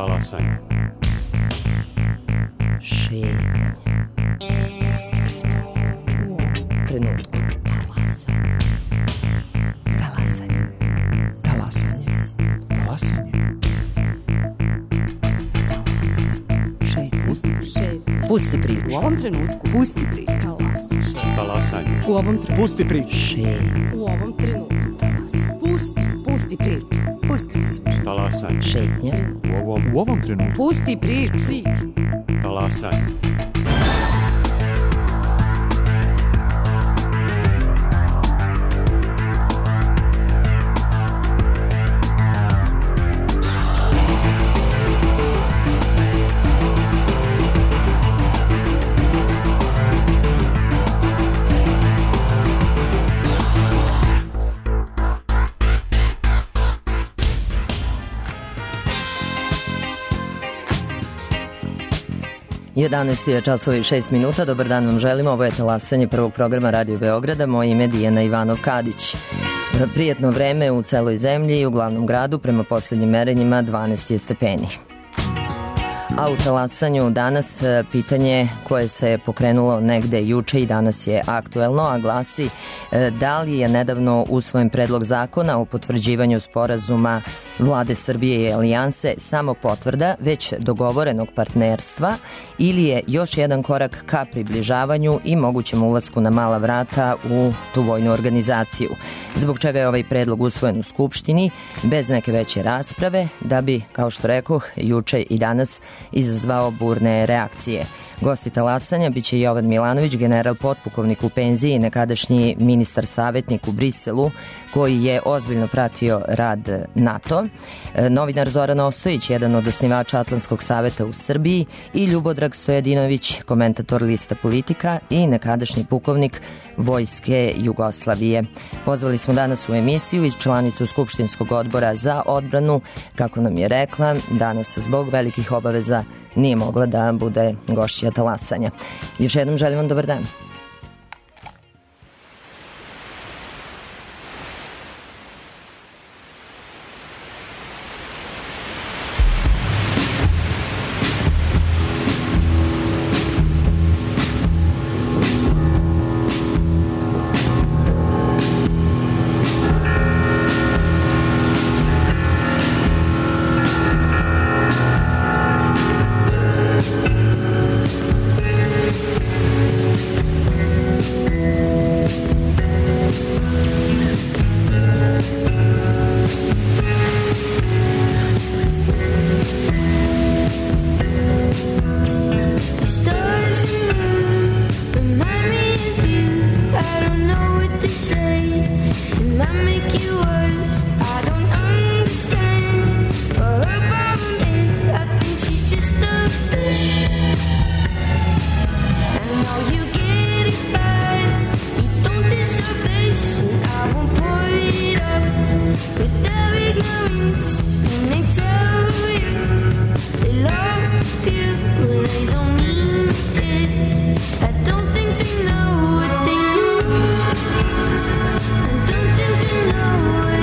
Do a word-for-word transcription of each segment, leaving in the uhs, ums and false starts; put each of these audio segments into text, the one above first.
Talasanje. Šetnja. Pusti priču. U ovom trenutku. Talasanje. Talasanje. Talasanje. Šetnja. Pusti priču. U ovom trenutku. Pusti priču. Talasanje. U ovom trenutku. Pusti priču. Šetnja. U ovom trenutku. Pusti. Pusti priču. Pusti priču. Talasanje. Šetnja. U ovom, u ovom trenutku. Pusti priču. Priču. Talasanje. jedanaest je časova i šest minuta. Dobar dan vam želimo. Ovo je Talasanje prvog programa Radio Beograda. Moje ime je Dijana Ivanov-Kadić. Prijetno vreme u celoj zemlji i u glavnom gradu. Prema poslednjim merenjima dvanaest je stepeni. A u Talasanju danas pitanje koje se je pokrenulo negde juče i danas je aktuelno, a glasi da li je nedavno usvojen predlog zakona o potvrđivanju sporazuma Vlade Srbije i Alijanse samo potvrda već dogovorenog partnerstva ili je još jedan korak ka približavanju i mogućem ulasku na mala vrata u tu vojnu organizaciju. Zbog čega je ovaj predlog usvojen u Skupštini bez neke veće rasprave, da bi, kao što rekoh, juče i danas izazvao burne reakcije. Gosti Talasanja biće Jovan Milanović, general potpukovnik u penziji i nekadašnji ministar savjetnik u Briselu, koji je ozbiljno pratio rad NATO, novinar Zoran Ostojić, jedan od osnivača Atlantskog saveta u Srbiji, i Ljubodrag Stojadinović, komentator lista Politika i nekadašnji pukovnik Vojske Jugoslavije. Pozvali smo danas u emisiju i članicu Skupštinskog odbora za odbranu, kako nam je rekla, danas zbog velikih obaveza nije mogla da bude gošća Talasanja. Još jednom želim vam dobar dan. Know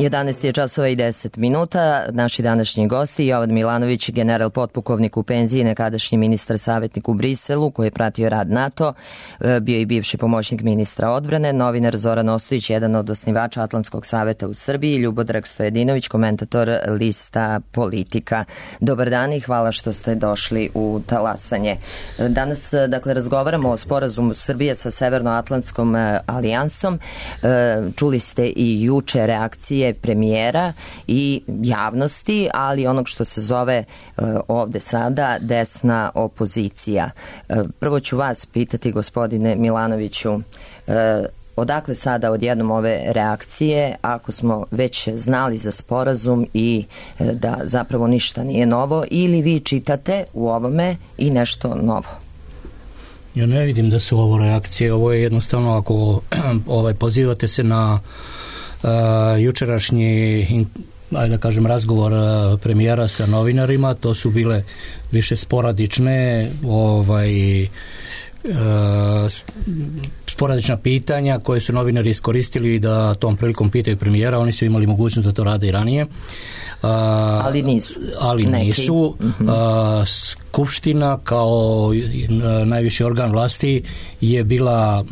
jedanaest je časova i deset minuta. Naši današnji gosti Jovan Milanović, general potpukovnik u penziji, nekadašnji ministar savjetnik u Briselu koji je pratio rad NATO, bio i bivši pomoćnik ministra odbrane, novinar Zoran Ostojić, jedan od osnivača Atlantskog saveta u Srbiji, Ljubodrag Stojedinović, komentator lista Politika. Dobar dan i hvala što ste došli u Talasanje. Danas, dakle, razgovaramo o sporazumu Srbije sa Severnoatlantskom alijansom. Čuli ste i juče reakcije premijera i javnosti, ali onog što se zove ovde sada desna opozicija. Prvo ću vas pitati, gospodine Milanoviću, odakle sada odjednom ove reakcije, ako smo već znali za sporazum i da zapravo ništa nije novo, ili vi čitate u ovome i nešto novo? Ja ne vidim da su ovo reakcije, ovo je jednostavno, ako ovaj, pozivate se na uh, jučerašnji, in, ajde da kažem, razgovor uh, premijera sa novinarima, to su bile više sporadične ovaj, uh, sporadična pitanja koje su novinari iskoristili da tom prilikom pitaju premijera, oni su imali mogućnost da to rade i ranije. Uh, ali nisu. Ali Neki. nisu. Uh, Skupština kao najviši organ vlasti je bila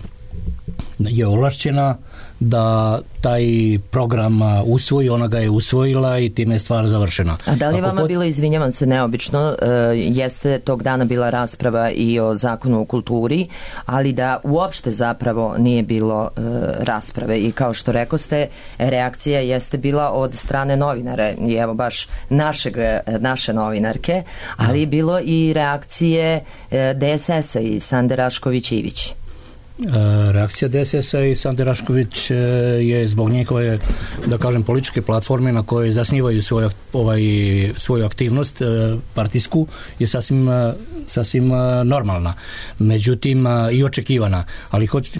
je ovlašćena da taj program usvoji, ona ga je usvojila i time je stvar završena. A da li je vama pot... bilo, izvinjavam se, neobično, e, jeste tog dana bila rasprava i o zakonu o kulturi, ali da uopšte zapravo nije bilo e, rasprave i kao što rekoste, reakcija jeste bila od strane novinara i evo baš našeg, naše novinarke, ali je bilo i reakcije e, D S S-a i Sande Rašković-Ivić. Reakcija D S S-a i Sande Rašković je zbog njihove, da kažem, političke platforme na koje zasnivaju svoj, ovaj, svoju aktivnost partijsku je sasvim, sasvim normalna, međutim i očekivana, ali hoću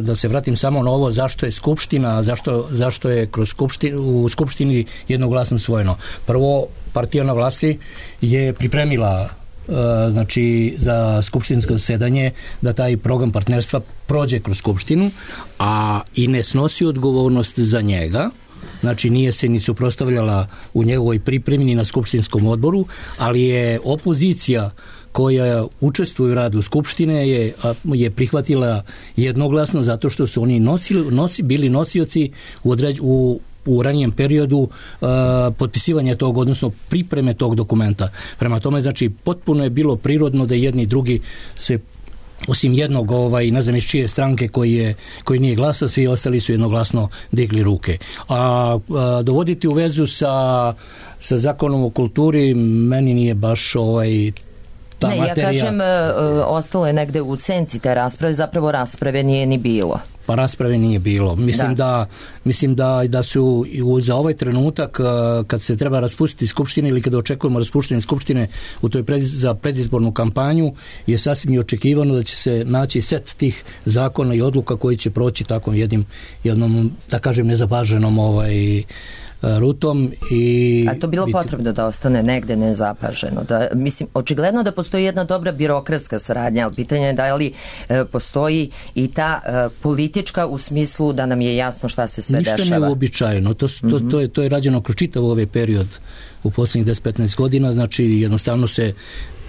da se vratim samo na ovo zašto je Skupština, zašto, zašto je kroz Skupštinu, u Skupštini jednoglasno usvojeno. Prvo, partija na vlasti je pripremila znači za skupštinsko zasedanje da taj program partnerstva prođe kroz Skupštinu, a i ne snosi odgovornost za njega, znači nije se ni suprotstavljala u njegovoj pripremi ni na skupštinskom odboru, ali je opozicija koja učestvuje u radu Skupštine je, je prihvatila jednoglasno zato što su oni nosili, nosi, bili nosioci u, određ, u u ranijem periodu uh, potpisivanja tog, odnosno pripreme tog dokumenta. Prema tome, znači, potpuno je bilo prirodno da jedni i drugi se, osim jednog, ovaj, ne znam iz čije stranke koji, je, koji nije glasao, svi ostali su jednoglasno digli ruke. A, a dovoditi u vezu sa, sa zakonom o kulturi meni nije baš ovaj, ta ne, materija. Ja kažem, uh, ostalo je negde u senci te rasprave, zapravo rasprave nije ni bilo. Pa rasprave nije bilo. Mislim da, da, mislim da, da su za ovaj trenutak kad se treba raspustiti skupštine ili kada očekujemo raspuštanje skupštine u toj pred, za predizbornu kampanju je sasvim i očekivano da će se naći set tih zakona i odluka koji će proći takvom jednim, jednom, da kažem, nezapaženom ovaj rutom. I a to bilo biti... potrebno da ostane negde nezapaženo. Da, mislim, očigledno da postoji jedna dobra birokratska saradnja, ali pitanje je da li e, postoji i ta e, politička u smislu da nam je jasno šta se sve ništa dešava. Ništa neuobičajeno. To, to, mm-hmm. to, je, to je rađeno kroz čitav ovaj period u poslednjih deset do petnaest godina, znači jednostavno se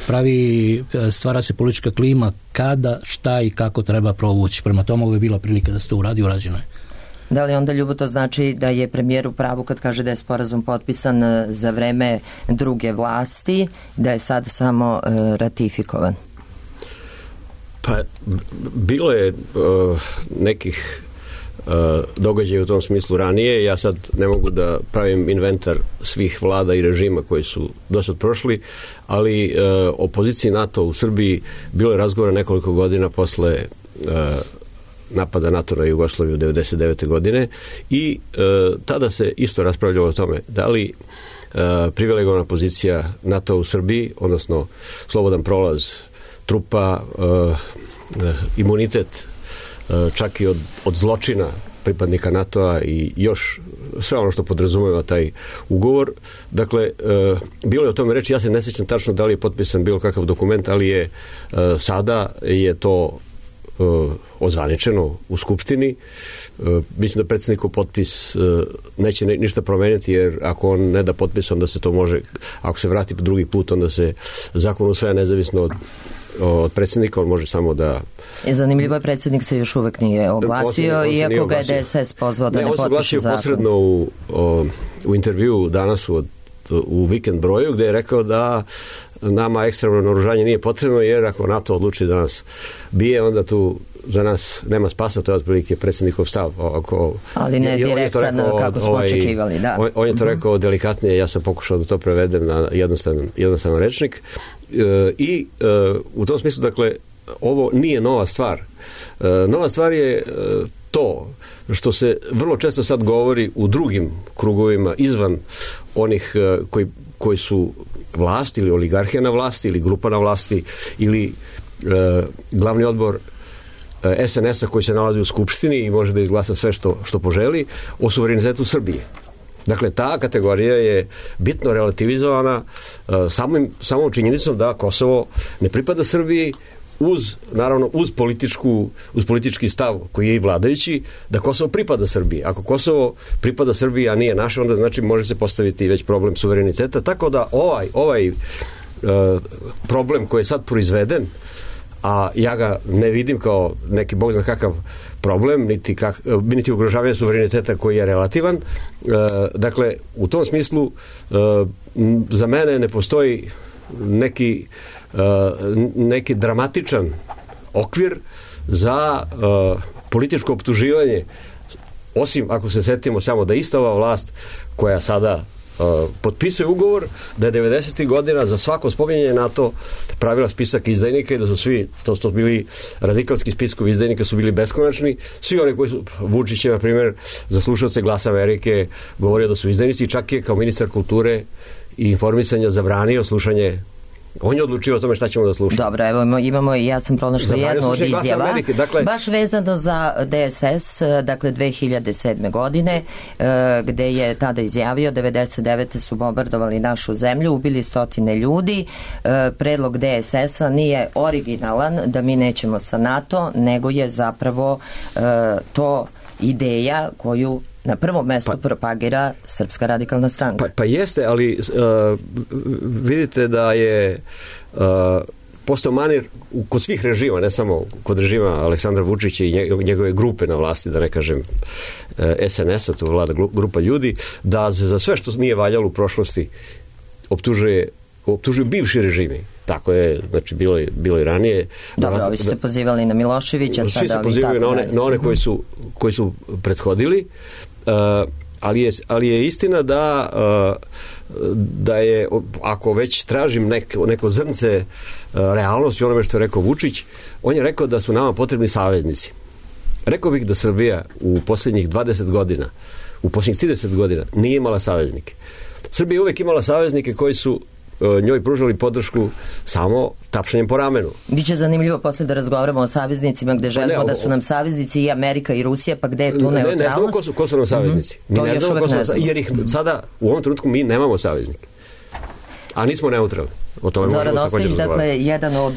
pravi, stvara se politička klima kada, šta i kako treba provući. Prema tomu ovo je bila prilika da se to uradi, urađeno je. Da li onda, Ljubo, to znači da je premijer u pravu kad kaže da je sporazum potpisan za vreme druge vlasti, da je sad samo uh, ratifikovan? Pa, bilo je uh, nekih uh, događaja u tom smislu ranije. Ja sad ne mogu da pravim inventar svih vlada i režima koji su do sad prošli, ali uh, o poziciji NATO u Srbiji bilo je razgovora nekoliko godina posle uh, napada NATO na Jugoslaviju devedeset devete godine i e, tada se isto raspravljalo o tome da li e, privilegovana pozicija NATO u Srbiji, odnosno slobodan prolaz trupa, e, e, imunitet e, čak i od, od zločina pripadnika NATO-a i još sve ono što podrazumeva taj ugovor. Dakle, e, bilo je o tome reći, ja se ne sjećam tačno da li je potpisan bilo kakav dokument, ali je e, sada je to ozvaničeno u Skupštini. Mislim da predsjednikov potpis neće ništa promeniti, jer ako on ne da potpis, onda se to može, ako se vrati drugi put, onda se zakon usvaja nezavisno od od predsjednika, on može samo da... Zanimljivo je, predsjednik se još uvek nije oglasio, on se, on se iako ga je D S S pozvao da ne, ne potpiše zakon. On se oglasio posredno u, o, u intervju danas u, u Vikend broju, gde je rekao da nama ekstremno naoružanje nije potrebno, jer ako NATO odluči da nas bije, onda tu za nas nema spasa, to je otprilike predsjednikov stav. Ako, ali ne direktan kako smo ovaj, očekivali, da. On, on je to rekao delikatnije, ja sam pokušao da to prevedem na jednostavan, jednostavan rečnik. E, I e, u tom smislu, dakle, ovo nije nova stvar. E, nova stvar je e, to što se vrlo često sad govori u drugim krugovima izvan onih e, koji, koji su vlast ili oligarhija na vlasti ili grupa na vlasti ili e, glavni odbor S N S-a koji se nalazi u Skupštini i može da izglasa sve što, što poželi o suverenitetu Srbije. Dakle, ta kategorija je bitno relativizovana uh, samim, samom činjenicom da Kosovo ne pripada Srbiji uz, naravno, uz, političku, uz politički stav koji je i vladajući, da Kosovo pripada Srbiji. Ako Kosovo pripada Srbiji, a nije naše, onda znači može se postaviti već problem suvereniteta. Tako da ovaj, ovaj uh, problem koji je sad proizveden, a ja ga ne vidim kao neki bog zna kakav problem, niti, kak, niti ugrožavanje suvereniteta koji je relativan. E, dakle, u tom smislu e, za mene ne postoji neki, e, neki dramatičan okvir za e, političko optuživanje, osim ako se setimo samo da ista ova vlast koja sada Uh, potpisuje ugovor da je devedesetih godina za svako spominjanje NATO pravila spisak izdajnika i da su svi, to su bili radikalski spiskovi izdajnika, su bili beskonačni. Svi oni koji su, Vučić je na primjer za slušalce Glasa Amerike govorio da su izdajnici, čak je kao ministar kulture i informisanja zabranio slušanje. On je odlučio o tome šta ćemo da slušamo. Dobro, evo imamo, ja sam pronašla jednu od izjava, Amerike, dakle, baš vezano za D S S, dakle dve hiljade sedme. godine, gde je tada izjavio, devedeset devete su bombardovali našu zemlju, ubili stotine ljudi, predlog D S S-a nije originalan, da mi nećemo sa NATO, nego je zapravo to ideja koju na prvom mestu pa, propagira Srpska radikalna stranka. Pa, pa jeste, ali uh, vidite da je uh, postao manir u, kod svih režima, ne samo kod režima Aleksandra Vučića i njegove grupe na vlasti, da ne kažem uh, S N S-a, to vlada grupa ljudi, da se za sve što nije valjalo u prošlosti optužuje, optužuju bivši režimi. Tako je, znači bilo je, bilo je ranije. Dobro, da, ovi su se pozivali na Miloševića, svi se pozivaju na one, na one koji su, koji su prethodili, uh, ali, je, ali je istina da uh, da je, ako već tražim neko, neko zrnce uh, realnosti onome što je rekao Vučić, on je rekao da su nama potrebni saveznici. Rekao bih da Srbija u posljednjih dvadeset godina, u posljednjih trideset godina nije imala saveznike. Srbija je uvek imala saveznike koji su njoj pružali podršku samo tapšanjem po ramenu. Biće zanimljivo posle da razgovaramo o saveznicima gde želimo pa ne, o, da su nam saveznici i Amerika i Rusija, pa gde je tu neutralnost? Ne, ne znamo ko su, ko su nam saveznici. Mm-hmm. Mi ne znamo ko su nam saveznici, jer ih sada u ovom trenutku mi nemamo saveznike. A nismo neutralni. Zoran Ostojić, dakle, jedan od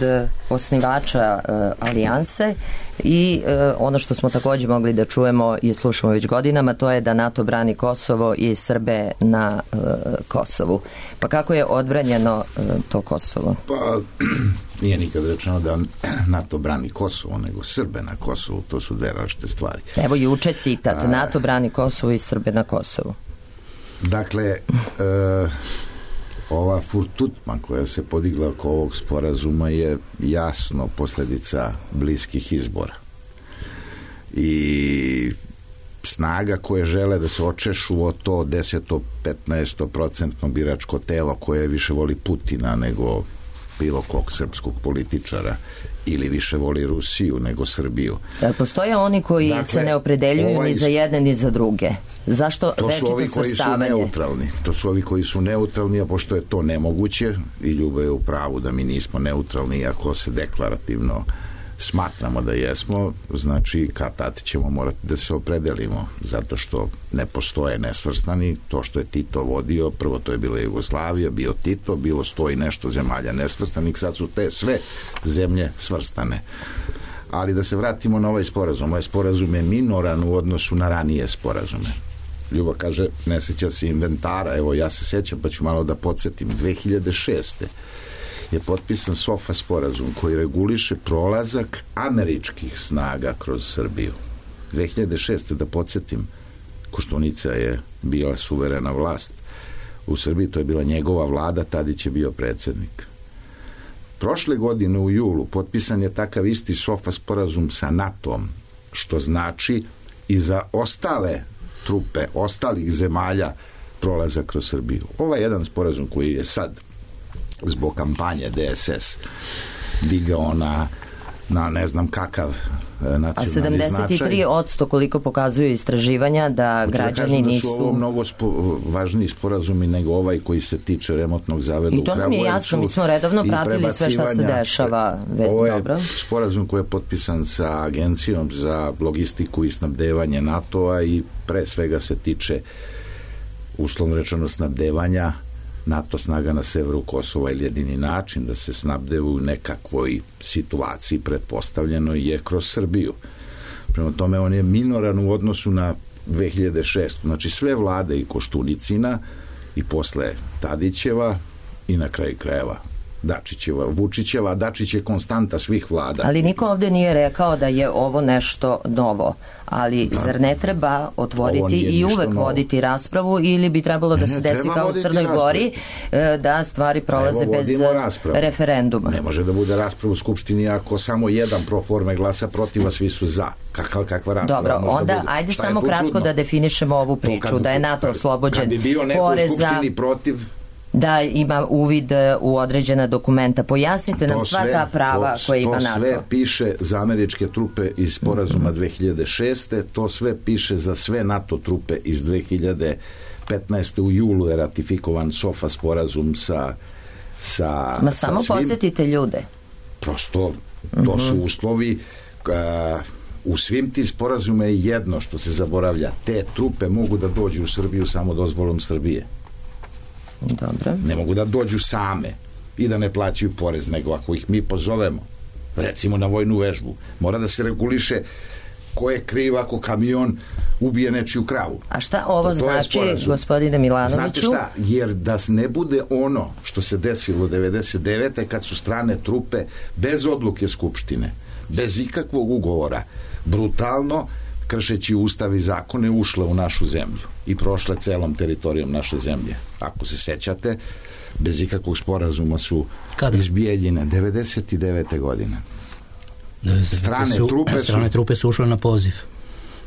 osnivača uh, alijanse i uh, ono što smo također mogli da čujemo i slušamo već godinama, to je da NATO brani Kosovo i Srbe na uh, Kosovu. Pa kako je odbranjeno uh, to Kosovo? Pa nije nikad rečeno da NATO brani Kosovo, nego Srbe na Kosovu. To su dve različite stvari. Evo juče citat, A... NATO brani Kosovo i Srbe na Kosovu. Dakle, uh, ova furtutma koja se podigla oko ovog sporazuma je jasno posljedica bliskih izbora. I snaga koje žele da se očešu o to deset do petnaest procentno biračko telo koje više voli Putina nego bilo kog srpskog političara ili više voli Rusiju nego Srbiju. Da, postoje oni koji dakle, se ne opredeljuju ovaj, ni za jedne ni za druge. Zašto to su ovi koji su neutralni. To su ovi koji su neutralni, a pošto je to nemoguće i Ljubo je u pravu da mi nismo neutralni, iako se deklarativno smatramo da jesmo, znači kad tad ćemo morati da se opredelimo, zato što ne postoje nesvrstani. To što je Tito vodio, prvo to je bila Jugoslavija, bio Tito, bilo sto i nešto zemalja nesvrstanih, sad su te sve zemlje svrstane. Ali da se vratimo na ovaj sporazum. Ovaj sporazum je minoran u odnosu na ranije sporazume. Ljuba kaže, ne sjeća se inventara, evo ja se sjećam pa ću malo da podsjetim. dve hiljade šeste. je potpisan SOFA sporazum koji reguliše prolazak američkih snaga kroz Srbiju. dve hiljade šeste. da podsjetim, Koštunica je bila suverena vlast u Srbiji, to je bila njegova vlada, Tadić je bio predsjednik. Prošle godine u julu potpisan je takav isti SOFA sporazum sa NATO-om, što znači i za ostale trupe, ostalih zemalja prolazak kroz Srbiju. Ovaj jedan sporazum koji je sad zbog kampanje D S S digao na, na ne znam kakav nacionalni značaj. A sedamdeset tri posto koliko pokazuju istraživanja da građani da nisu... Da su ovo mnogo spo, važniji sporazumi nego ovaj koji se tiče remontnog zaveda u Kragujevcu. I to nam je jasno, mi smo redovno pratili sve šta se dešava. Ovo je dobro. sporazum koji je potpisan sa Agencijom za logistiku i snabdevanje NATO-a i pre svega se tiče uslovno rečeno snabdevanja NATO snaga na severu Kosova, ili jedini način da se snabdevu u nekakvoj situaciji pretpostavljeno je kroz Srbiju. Prema tome on je minoran u odnosu na dve hiljade šeste. Znači sve vlade i Koštunicina i posle Tadićeva i na kraju krajeva Dačićeva, Vučićeva, Dačić je konstanta svih vlada. Ali niko ovdje nije rekao da je ovo nešto novo. Ali da. Zar ne treba otvoriti i uvek novo. Voditi raspravu ili bi trebalo da ne, se desi kao u Crnoj Gori da stvari prolaze bez raspravu. Referenduma? Ne može da bude rasprava u Skupštini ako samo jedan pro forme glasa protiv, a svi su za. Kakva, kakva rasprava? Dobro, onda da ajde Šta samo kratko čudno? Da definišemo ovu priču, kad, da je NATO oslobođen poreza. Kad bi bio neko u Skupštini protiv, da ima uvid u određena dokumenta. Pojasnite nam sva sve, ta prava to, koje ima to NATO. To sve piše za američke trupe iz sporazuma dve hiljade šeste. To sve piše za sve NATO trupe iz dve hiljade petnaeste. U julu je ratifikovan SOFA sporazum sa sa Ma samo sa podsjetite ljude. Prosto, to su uslovi. Uh, u svim tim sporazuma je jedno što se zaboravlja. Te trupe mogu da dođu u Srbiju samo dozvolom Srbije. Dobro. Ne mogu da dođu same i da ne plaćaju porez, nego ako ih mi pozovemo, recimo na vojnu vežbu, mora da se reguliše ko je kriv ako kamion ubije nečiju kravu. A šta ovo to znači, gospodine Milanoviću? Znate šta, jer da ne bude ono što se desilo devedeset devete. kad su strane trupe bez odluke Skupštine, bez ikakvog ugovora, brutalno kršeći ustav i zakone ušle u našu zemlju i prošle celom teritorijom naše zemlje. Ako se sećate, bez ikakvog sporazuma su Kada? iz Bijeljine devedeset devete. godine. Strane su, trupe su... Strane trupe su ušle na poziv.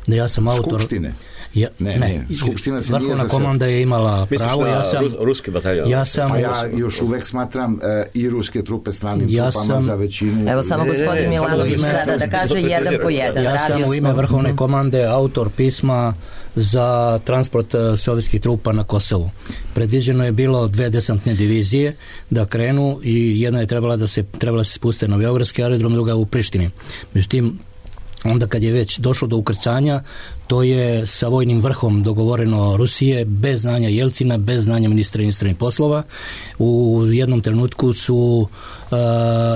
Da ja sam autor... Skupštine. Ja, ne, ne, ne, Skupština se Vrhovna komanda je imala pravo. Ja sam, ruski bataljon. Ja sam, a ja još uvek smatram uh, i ruske trupe stranim ja trupama sam, za većinu. Evo samo gospodin Milanović sada da kaže jedan po jedan. Ja sam u ime Vrhovne komande autor pisma za transport sovjetskih trupa na Kosovu. Predviđeno je bilo dve desantne divizije da krenu i jedna je trebala da se trebala se spuste na Beogradski aerodrom, druga u Prištini. Međutim, onda kad je već došlo do ukrcanja, to je sa vojnim vrhom dogovoreno Rusije, bez znanja Jelcina, bez znanja ministra inostranih poslova. U jednom trenutku su uh,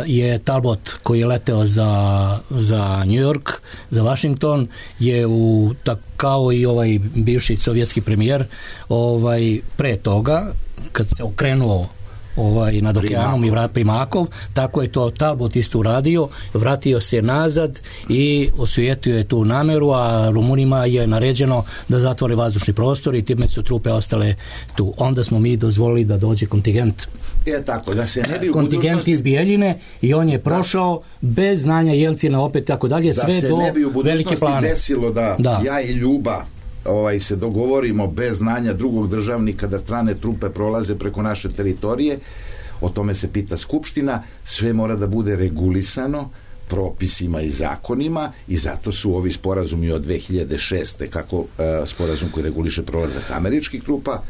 je Talbot, koji je leteo za, za New York, za Washington, je u, tak, kao i ovaj bivši sovjetski premijer, ovaj, pre toga, kad se okrenuo ovaj, nad okeanom i vrat Primakov, tako je to Talbot isto uradio, vratio se nazad i osujetio je tu nameru, a Rumunima je naređeno da zatvore vazdušni prostor i time su trupe ostale tu. Onda smo mi dozvolili da dođe kontingent. Je tako, da se ne bi u kontingent budućnosti... iz Bijeljine i on je prošao da, bez znanja Jelcina, opet tako dalje, sve do velike plane. Da se ne bi u budućnosti desilo da, da ja i Ljuba ovaj, se dogovorimo bez znanja drugog državnika da strane trupe prolaze preko naše teritorije, o tome se pita Skupština, sve mora da bude regulisano propisima i zakonima i zato su ovi sporazumi od dve hiljade šeste. kako uh, sporazum koji reguliše prolazak američkih trupa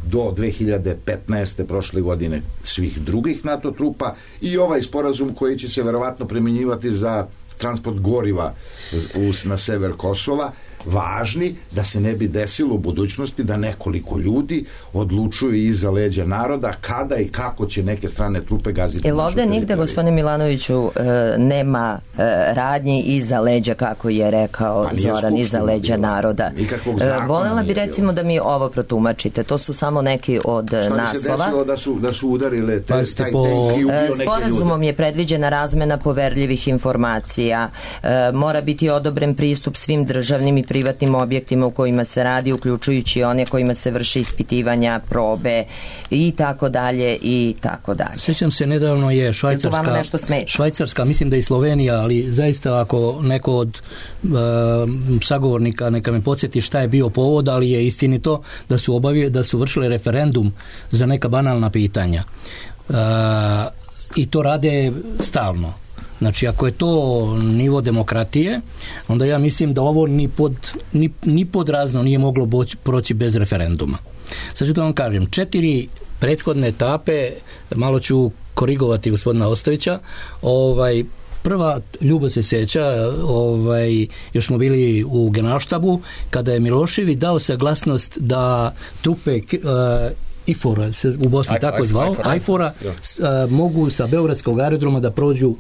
do dve hiljade petnaeste. prošle godine svih drugih NATO trupa i ovaj sporazum koji će se verovatno primjenjivati za transport goriva na sever Kosova važni da se ne bi desilo u budućnosti da nekoliko ljudi odlučuju iza leđa naroda kada i kako će neke strane trupe gaziti. Jel ovde nigde, gospodine Milanoviću, nema radnji iza leđa, kako je rekao Zoran, iza leđa naroda? Volela bi recimo da mi ovo protumačite. To su samo neki od naslova. Šta bi se desilo da su, da su udarile te, taj tank i ubio neke ljude? Sporazumom je predviđena razmena poverljivih informacija. Mora biti odobren pristup svim državnim i privatnim objektima u kojima se radi, uključujući one kojima se vrše ispitivanja, probe i tako dalje i tako dalje. Sjećam se, nedavno je Švajcarska, Švajcarska, mislim da i Slovenija, ali zaista ako neko od uh, sagovornika neka me podsjeti šta je bio povod, ali je istinito da su obavije, da su vršile referendum za neka banalna pitanja. Uh, I to rade stalno. Znači, ako je to nivo demokratije, onda ja mislim da ovo ni pod, ni, ni pod razno nije moglo boći, proći bez referenduma. Sad ću da vam kažem, četiri prethodne etape, malo ću korigovati gospodina Ostojića, ovaj, prva, Ljubo se sjeća, ovaj, još smo bili u Generalštabu, kada je Milošević dao saglasnost da trupe uh, IFOR-a, se u Bosni I, tako I, zvao, IFOR-a, uh, mogu sa Beogradskog aerodroma da prođu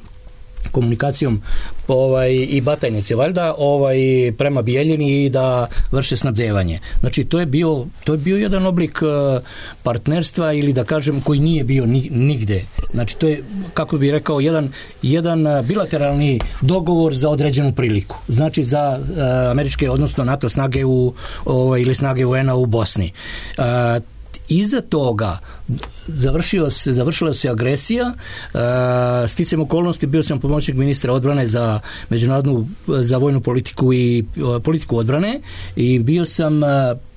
komunikacijom ovaj, i Batajnice valjda ovaj, prema Bijeljini i da vrše snabdevanje. Znači to je bio, to je bio jedan oblik uh, partnerstva ili da kažem koji nije bio ni, nigde. Znači to je, kako bih rekao, jedan, jedan bilateralni dogovor za određenu priliku. Znači za uh, američke, odnosno NATO snage u, ovaj, ili snage U N-a u Bosni. Uh, Iza toga završio se, završila se agresija, uh, sticajem okolnosti bio sam pomoćnik ministra odbrane za međunarodnu, za vojnu politiku i uh, politiku odbrane i bio sam uh,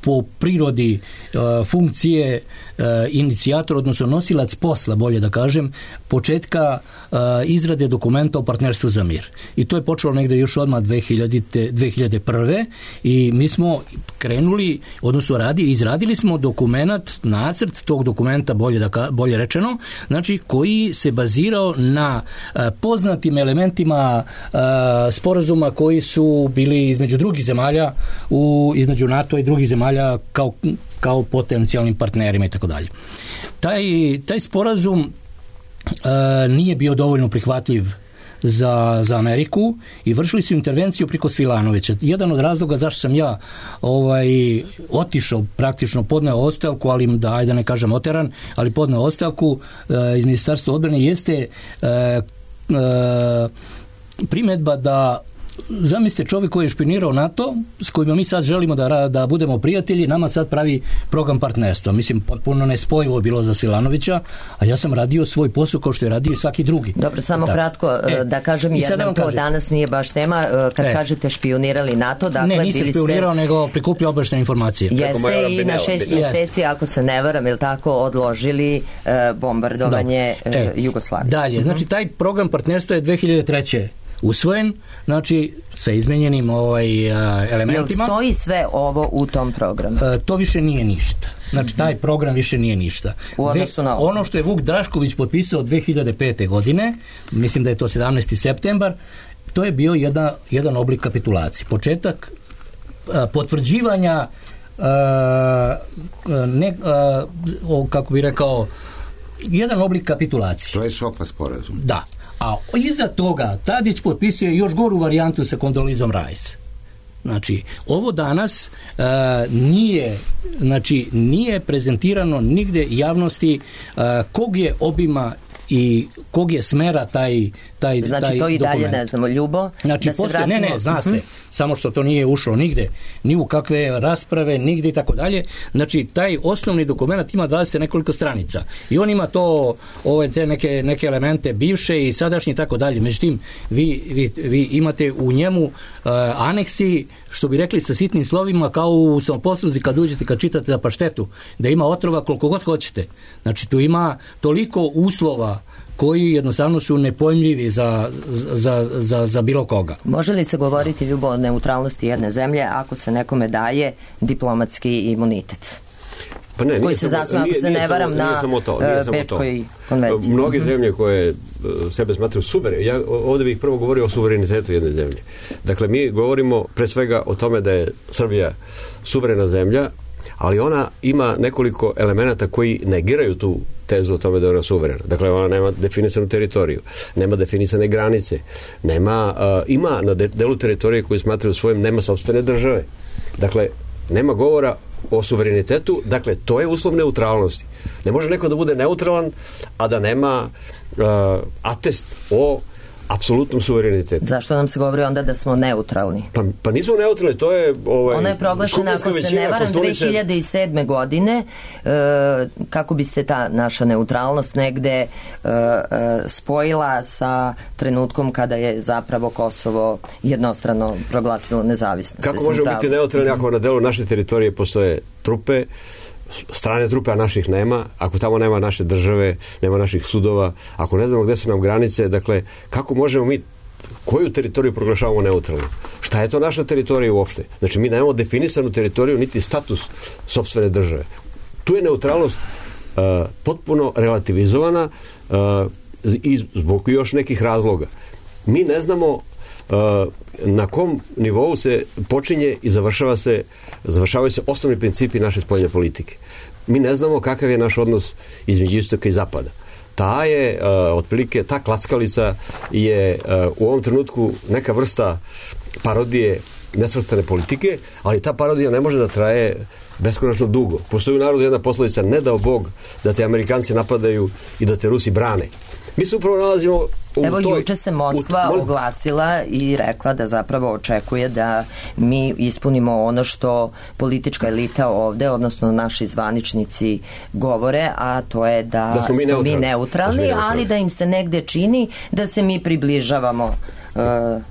po prirodi uh, funkcije uh, inicijator, odnosno nosilac posla, bolje da kažem, početka uh, izrade dokumenta o partnerstvu za mir. I to je počelo negde još odmah dve hiljade prve i mi smo krenuli, odnosno radi, izradili smo dokumenat, nacrt tog dokumenta, bolje, da, bolje rečeno, znači koji se bazirao na uh, poznatim elementima uh, sporazuma koji su bili između drugih zemalja, u, između NATO i drugih zemalja kao, kao potencijalnim partnerima i tako dalje. Taj, taj sporazum uh, nije bio dovoljno prihvatljiv za, za Ameriku i vršili su intervenciju preko Svilanovića. Jedan od razloga zašto sam ja ovaj, otišao, praktično podneo ostavku, ali da, ajde ne kažem oteran, ali podneo ostavku uh, iz Ministarstva odbrane jeste uh, uh, primjedba da zamislite čovjek koji je špionirao NATO, s kojima mi sad želimo da, da budemo prijatelji, nama sad pravi program partnerstva. Mislim, potpuno nespojivo bilo za Silanovića, a ja sam radio svoj posao kao što je radio i svaki drugi. Dobro, samo da. kratko e, da kažem, jer nam to kažem. Danas nije baš tema. Kad e. kažete špionirali NATO, dakle, ne, nisam špionirao, ste... nego prikupljao obavještajne informacije. Jeste i na šest mjeseci, ako se ne varam, ili tako, odložili uh, bombardovanje uh, e. Jugoslavije. Dalje, znači taj program partnerstva je dve hiljade treće usvojen, znači sa izmenjenim ovaj, uh, elementima. Jel stoji sve ovo u tom programu? Uh, to više nije ništa. Znači taj program više nije ništa. U odnosu na ovo. Ono što je Vuk Drašković potpisao dve hiljade pete. godine, mislim da je to sedamnaesti septembar, to je bio jedan, jedan oblik kapitulacije. Početak uh, potvrđivanja uh, ne, uh, kako bi rekao, jedan oblik kapitulacije. To je SOFA sporazum. Da. A iza toga Tadić potpisuje još goru varijantu sa Kondolizom Rice. Znači, ovo danas uh, nije, znači, nije prezentirano nigde javnosti uh, kog je obima i kog je smera taj taj znači taj to i dalje dokument. Ne znamo. Ljubo, znači, da se postoje, vratimo... ne, ne, zna se, uh-huh. samo što to nije ušlo nigde, ni u kakve rasprave, nigde i tako dalje. Znači, taj osnovni dokument ima dvadeset nekoliko stranica i on ima to, ove te neke, neke elemente bivše i sadašnje i tako dalje. Međutim, vi, vi, vi imate u njemu uh, aneksi, što bi rekli sa sitnim slovima, kao u samoposluzi kad uđete, kad čitate za paštetu, da ima otrova koliko god hoćete. Znači, tu ima toliko uslova koji jednostavno su nepojmljivi za, za, za, za bilo koga. Može li se govoriti, Ljubo, o neutralnosti jedne zemlje ako se nekome daje diplomatski imunitet? Pa ne, koji se zasniva, ako se ne varam, na Bečkoj konvenciji. Mnoge zemlje koje sebe smatraju suverene, ja ovdje bih prvo govorio o suverenitetu jedne zemlje. Dakle, mi govorimo pre svega o tome da je Srbija suverena zemlja, ali ona ima nekoliko elemenata koji negiraju tu tezu o tome da je ona suverena. Dakle, ona nema definisanu teritoriju, nema definisane granice, nema, uh, ima na delu teritorije koju smatraju svojim, nema sopstvene države. Dakle, nema govora o suverenitetu, dakle, to je uslov neutralnosti. Ne može neko da bude neutralan, a da nema uh, atest o apsolutnom suverenitetu. Zašto nam se govori onda da smo neutralni? Pa, pa nismo neutralni, to je... Ovaj, ona je proglašena, ako se ne varam, dve hiljade sedme. godine, e, kako bi se ta naša neutralnost negde e, e, spojila sa trenutkom kada je zapravo Kosovo jednostrano proglasilo nezavisnost. Kako možemo pravi. biti neutralni ako na delu naše teritorije postoje trupe, strane trupe, a naših nema, ako tamo nema naše države, nema naših sudova, ako ne znamo gde su nam granice, dakle, kako možemo mi, koju teritoriju proglašavamo neutralno? Šta je to naša teritorija uopšte? Znači, mi nemamo definisanu teritoriju, niti status sopstvene države. Tu je neutralnost uh, potpuno relativizovana uh, i zbog još nekih razloga. Mi ne znamo uh, na kom nivou se počinje i završava se, završavaju se osnovni principi naše spoljne politike. Mi ne znamo kakav je naš odnos između istoka i zapada. Ta je, uh, otprilike, ta klackalica je uh, u ovom trenutku neka vrsta parodije nesvrstane politike, ali ta parodija ne može da traje beskonačno dugo. Postoji u narodu jedna poslovica, ne dao Bog da te Amerikanci napadaju i da te Rusi brane. Mi se upravo nalazimo u Evo, toj... juče se Moskva u, oglasila i rekla da zapravo očekuje da mi ispunimo ono što politička elita ovde, odnosno naši zvaničnici govore, a to je da, da smo mi neutralni, mi neutralni, da smo mi neutralni, ali da im se negde čini da se mi približavamo uh,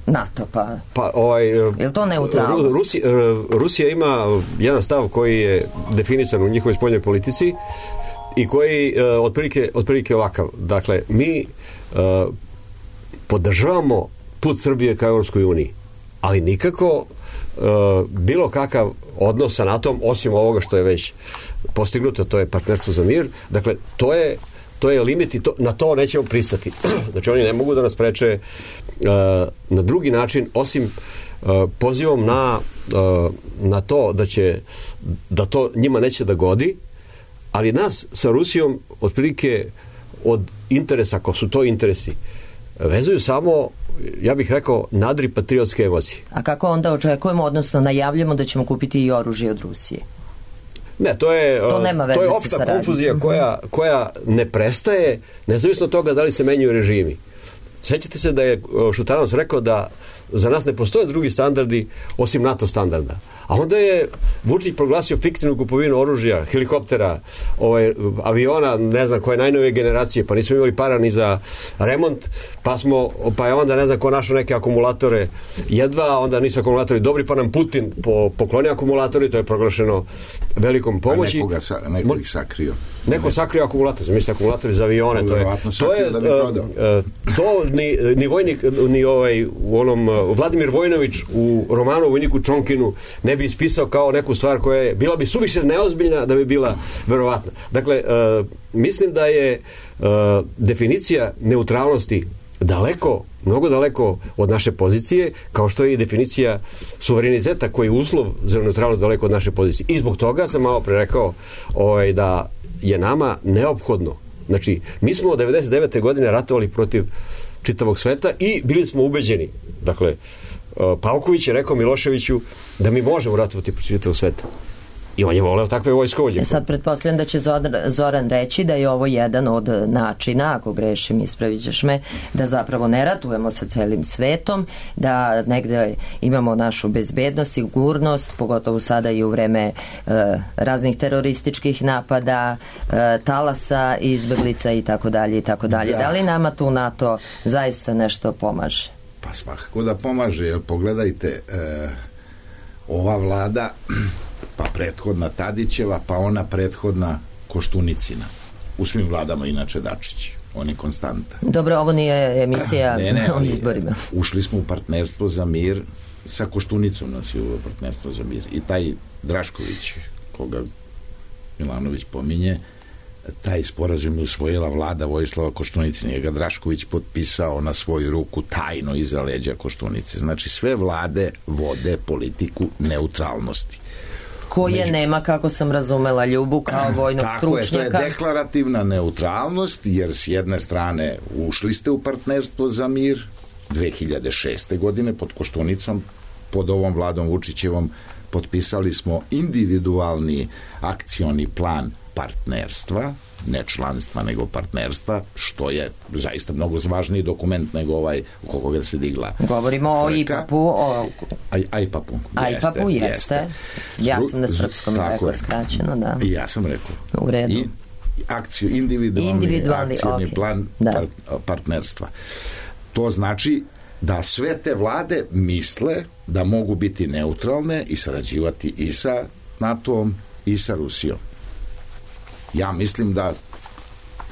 NATO. Pa, pa ovaj, je li to neutralnost? Rusi, Rusija ima jedan stav koji je definisan u njihovoj spoljnoj politici i koji uh, otprilike, otprilike ovakav. Dakle, mi uh, podržavamo put Srbije ka Europskoj uniji, ali nikako uh, bilo kakav odnos sa NATO-om, osim ovoga što je već postignuto, to je partnerstvo za mir. Dakle, to je, to je limit i to, na to nećemo pristati. Znači, oni ne mogu da nas preče uh, na drugi način, osim uh, pozivom na, uh, na to da će, da to njima neće da godi, ali nas sa Rusijom otprilike od interesa, ako su to interesi, vezuju samo, ja bih rekao, nadri patriotske emocije. A kako onda očekujemo, odnosno najavljamo da ćemo kupiti i oružje od Rusije? Ne, to je, to to je opšta konfuzija koja, koja ne prestaje, nezavisno od toga da li se menjaju režimi. Sjećate se da je Šutanovac rekao da za nas ne postoje drugi standardi osim NATO standarda. A onda je Vučić proglasio fiktivnu kupovinu oružja, helikoptera, ovaj, aviona, ne znam koje najnovije generacije, pa nismo imali para ni za remont, pa smo, pa je onda ne znam ko našao neke akumulatore jedva, onda nisu akumulatori dobri, pa nam Putin po, poklonio akumulatori, to je proglašeno velikom pomoći. A nekoga sa, neko ih sakrio. Neko sakrio akumulator, mislim akumulatori za avione, to je, to je da bi prodao. To ni, ni vojnik, ni ovaj, u onom, Vladimir Vojnović u romanu o vojniku Čonkinu ne bi ispisao kao neku stvar koja je, bila bi suviše neozbiljna da bi bila verovatna. Dakle, uh, mislim da je uh, definicija neutralnosti daleko, mnogo daleko od naše pozicije, kao što je i definicija suvereniteta koji je uslov za neutralnost daleko od naše pozicije. I zbog toga sam malo pre rekao ovaj, da je nama neophodno. Znači, mi smo od devedeset devete godine ratovali protiv čitavog sveta i bili smo ubeđeni. Dakle, Pavković je rekao Miloševiću da mi možemo ratovati protiv čitavog sveta. I on je voleo takve vojskovođe. E sad pretpostavljam da će Zoran reći da je ovo jedan od načina, ako grešim, ispravit ćeš me, da zapravo ne ratujemo sa celim svetom, da negde imamo našu bezbednost, sigurnost, pogotovo sada i u vreme e, raznih terorističkih napada, e, talasa, izbeglica i tako dalje i tako dalje. Da li nama tu NATO zaista nešto pomaže? Pa svakako da pomaže, jer pogledajte, e, ova vlada, pa prethodna Tadićeva, pa ona prethodna Koštunicina. U svim vladama inače Dačić. On je konstanta. Dobro, ovo nije emisija ne, ne, o izborima. Ušli smo u partnerstvo za mir sa Koštunicom, nas je u partnerstvo za mir. I taj Drašković, koga Milanović pominje, taj sporazum je usvojila vlada Vojislava Koštunice, nije ga Drašković potpisao na svoju ruku tajno iza leđa Koštunice. Znači sve vlade vode politiku neutralnosti. Koje Među... nema, kako sam razumela, Ljubu kao vojnog Tako stručnjaka. Je, to je deklarativna neutralnost, jer s jedne strane ušli ste u partnerstvo za mir dve hiljade šeste. godine pod Koštunicom, pod ovom vladom Vučićevom potpisali smo individualni akcioni plan partnerstva, ne članstva, nego partnerstva, što je zaista mnogo važniji dokument nego ovaj oko koga se digla. Govorimo frka. o I P A P-u. O... Aj, I P A P-u. I P A P-u jeste. jeste. Ja sam na srpskom rekla skraćeno, da. I ja sam rekao. U redu. I, akciju, individualni, individualni akcijni okay. plan da. par, partnerstva. To znači da sve te vlade misle da mogu biti neutralne i sarađivati i sa NATO-om i sa Rusijom. Ja mislim da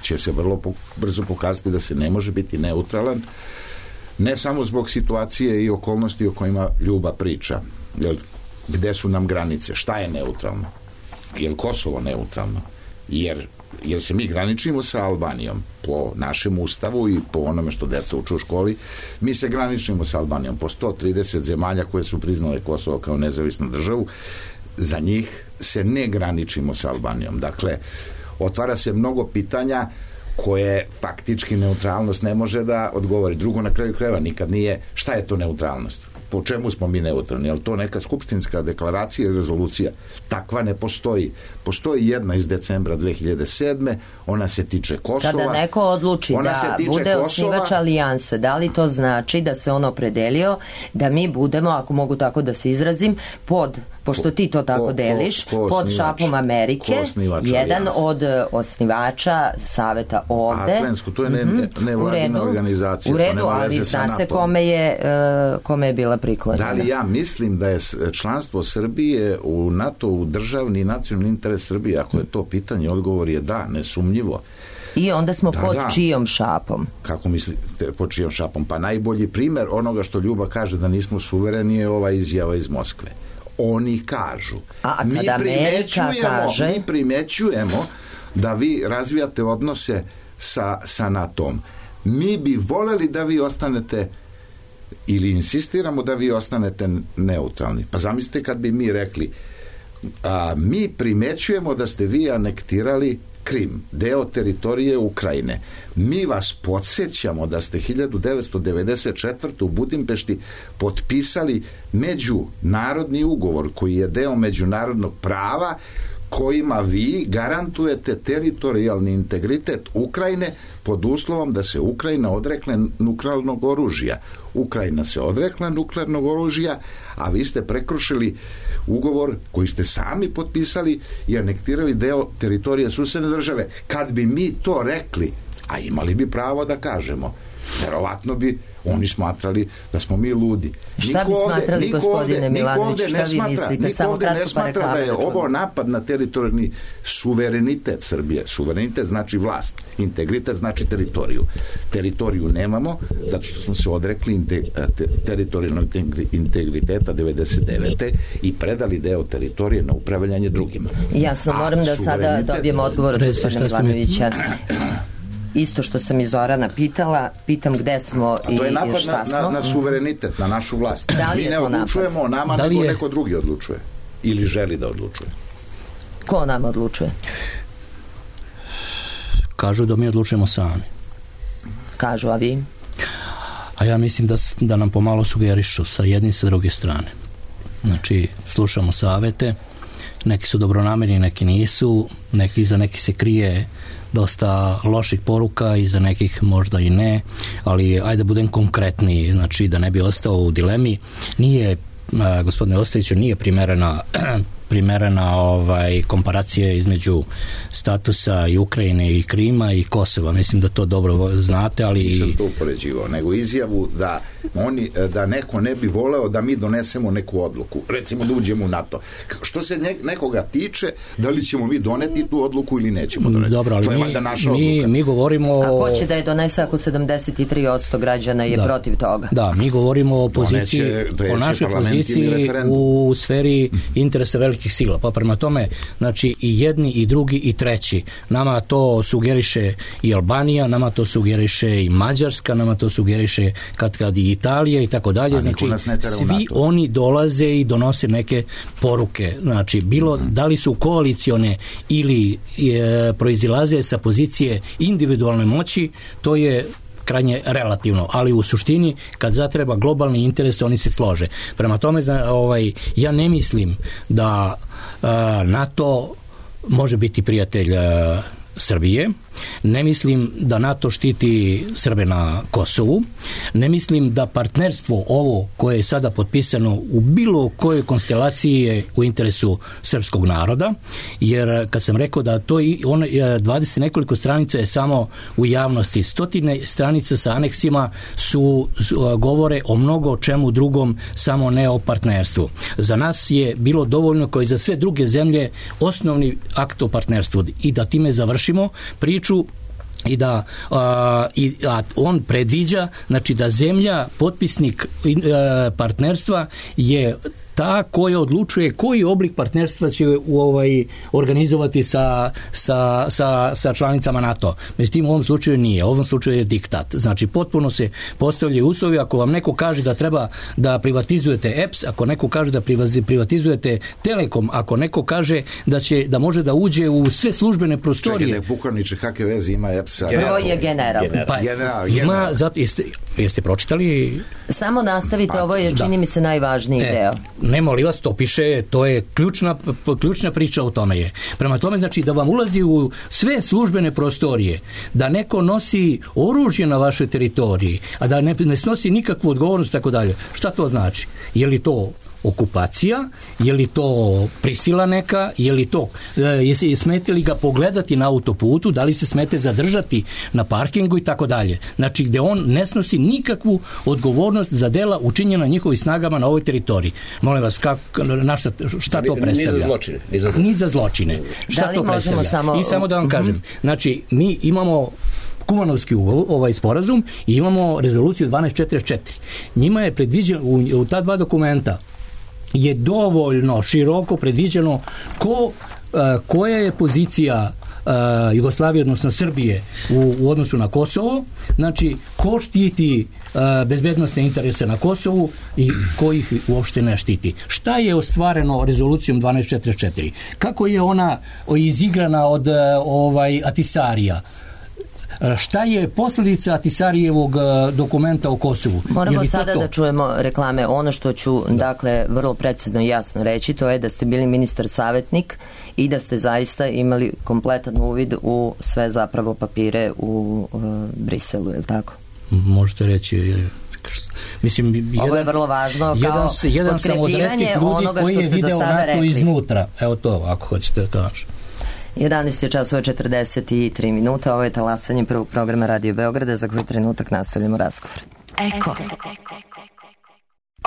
će se vrlo po, brzo pokazati da se ne može biti neutralan, ne samo zbog situacije i okolnosti o kojima Ljuba priča. Jel, gde su nam granice? Šta je neutralno? Je li Kosovo neutralno? Jer, jer se mi graničimo sa Albanijom po našem ustavu i po onome što deca uče u školi. Mi se graničimo sa Albanijom po sto trideset zemalja koje su priznale Kosovo kao nezavisnu državu. Za njih se ne graničimo sa Albanijom. Dakle, otvara se mnogo pitanja koje faktički neutralnost ne može da odgovori. Drugo, na kraju krajeva, nikad nije šta je to neutralnost. Po čemu smo mi neutralni? Je li to neka skupštinska deklaracija ili rezolucija? Takva ne postoji. Postoji jedna iz decembra dve hiljade sedme. Ona se tiče Kosova. Kada neko odluči da bude Kosova, osnivač alijanse, da li to znači da se on opredelio da mi budemo, ako mogu tako da se izrazim, pod, pošto ti to tako ko, deliš, ko, ko pod šapom Amerike, jedan alijanse. Od osnivača saveta ovde. Atlensku, to je ne, ne, nevladina organizacija. U redu, ali zna se kome je, uh, kome je bila priklonjena. Da li ja mislim da je članstvo Srbije u NATO u državni i nacionalni interes Srbije? Ako je to pitanje, odgovor je da, nesumnjivo. I onda smo da, pod da. čijom šapom? Kako mislite pod čijom šapom? Pa najbolji primer onoga što Ljuba kaže da nismo suvereni je ova izjava iz Moskve. Oni kažu. A mi kada Amerika kaže... Mi primećujemo da vi razvijate odnose sa, sa NATO-om. Mi bi voljeli da vi ostanete ili insistiramo da vi ostanete neutralni. Pa zamislite kad bi mi rekli a, mi primećujemo da ste vi anektirali Krim, deo teritorije Ukrajine. Mi vas podsjećamo da ste hiljadu devetsto devedeset četvrte. u Budimpešti potpisali međunarodni ugovor koji je deo međunarodnog prava kojima vi garantujete teritorijalni integritet Ukrajine pod uslovom da se Ukrajina odrekne nuklearnog oružja. Ukrajina se odrekla nuklearnog oružja, a vi ste prekršili ugovor koji ste sami potpisali i anektirali deo teritorije susedne države. Kad bi mi to rekli, a imali bi pravo da kažemo, verovatno bi oni smatrali da smo mi ludi. Šta bi smatrali, gospodine Milanović, šta vi mislite? Niko ovde ne smatra da je ovo napad na teritorijalni suverenitet Srbije. Suverenitet znači vlast, integritet znači teritoriju. Teritoriju nemamo, zato što smo se odrekli teritorijalnog integriteta devedeset devete. i predali deo teritorije na upravljanje drugima. Jasno, moram da sada dobijem odgovor od gospodina Milanovića. Isto što sam i Zorana pitala, pitam gde smo i šta smo. To je napad na, na, na suverenitet, na našu vlast. Da li mi ne odlučujemo o nama, nego je... neko drugi odlučuje. Ili želi da odlučuje. Ko o nama odlučuje? Kažu da mi odlučujemo sami. Kažu, a vi? A ja mislim da, da nam pomalo sugerišu sa jedne i sa druge strane. Znači, slušamo savete, neki su dobronamerni, neki nisu, neki za neki se krije dosta loših poruka i za nekih možda i ne, ali ajde da budem konkretniji, znači da ne bi ostao u dilemi. Nije, gospodine Ostojiću, nije primerena primerena ovaj, komparacija između statusa i Ukrajine i Krima i Kosova. Mislim da to dobro znate, ali... Nisam to upoređivao, nego izjavu da, oni, da neko ne bi voleo da mi donesemo neku odluku. Recimo da uđemo u NATO. Što se nekoga tiče, da li ćemo mi doneti tu odluku ili nećemo doneti. Dobro, ali to je mi, valjda naša mi, odluka. Mi govorimo... A ko će da je donese ako sedamdeset tri posto građana je da. protiv toga? Da, mi govorimo o poziciji, o našoj poziciji u sferi interesa velikih velikih sila. Pa prema tome, znači i jedni i drugi i treći. Nama to sugeriše i Albanija, nama to sugeriše i Mađarska, nama to sugeriše kad kad i Italija i tako dalje. Znači svi oni dolaze i donose neke poruke. Znači bilo da li su koalicione ili e, proizilaze sa pozicije individualne moći, to je krajnje relativno, ali u suštini kad zatreba globalni interes, oni se slože. Prema tome, ovaj, ja ne mislim da uh, NATO može biti prijatelj uh, Srbije, ne mislim da NATO štiti Srbe na Kosovu, ne mislim da partnerstvo ovo koje je sada potpisano u bilo kojoj konstelaciji je u interesu srpskog naroda, jer kad sam rekao da to i on, dvadeset nekoliko stranica je samo u javnosti, stotine stranica sa aneksima su, govore o mnogo čemu drugom, samo ne o partnerstvu. Za nas je bilo dovoljno, kao i za sve druge zemlje, osnovni akt o partnerstvu i da time završimo priču i da a, i, a on predviđa, znači da zemlja potpisnik a, partnerstva je ta koja odlučuje koji oblik partnerstva će u ovaj organizovati sa, sa, sa, sa članicama NATO. Međutim, u ovom slučaju nije. U ovom slučaju je diktat. Znači, potpuno se postavljaju uslovi. Ako vam neko kaže da treba da privatizujete E P S, ako neko kaže da privatizujete Telekom, ako neko kaže da će da može da uđe u sve službene prostorije. Čekajte, pukovniče, kakve veze ima E P S? Prvo je general. Pa, general, ima, general. Zato, jeste, jeste pročitali? Samo nastavite, pa, ovo je, da. čini mi se, najvažniji e, deo. Ne, molim vas, to piše, to je ključna, ključna priča o tome je. Prema tome, znači, da vam ulazi u sve službene prostorije, da neko nosi oružje na vašoj teritoriji, a da ne, ne snosi nikakvu odgovornost, tako dalje. Šta to znači? Je li to okupacija, je li to prisila neka, je li to, je smete li ga pogledati na autoputu, da li se smete zadržati na parkingu i tako dalje. Znači, gde on ne snosi nikakvu odgovornost za dela učinjena njihovim snagama na ovoj teritoriji. Molim vas, kak, na šta, šta to predstavlja? Ni za zločine. Ni za, ni za zločine. Šta to predstavlja? Samo... I samo da vam kažem, znači, mi imamo Kumanovski ovaj sporazum i imamo rezoluciju dvanaest četrdeset četiri. Njima je predviđeno u, u ta dva dokumenta je dovoljno široko predviđeno ko, koja je pozicija Jugoslavije, odnosno Srbije u, u odnosu na Kosovo, znači ko štiti bezbednosne interese na Kosovu i ko ih uopšte ne štiti. Šta je ostvareno rezolucijom dvanaest četrdeset četiri? Kako je ona izigrana od ovaj Atisarija? Šta je posljedica Atisarijevog dokumenta o Kosovu? Moramo sada to? da čujemo reklame. Ono što ću, da. dakle, vrlo precizno i jasno reći, to je da ste bili ministar savjetnik i da ste zaista imali kompletan uvid u sve zapravo papire u uh, Briselu, je li tako? Možete reći... Mislim, jedan, ovo je vrlo važno kao jedan, jedan sam od retkih ljudi koji je video NATO rekli. iznutra. Evo to, ako hoćete da kažem. jedanaest je časova četrdeset tri minuta, ovo je talasanje prvog programa Radio Beograda, za koji trenutak nastavljamo razgovor. Eko.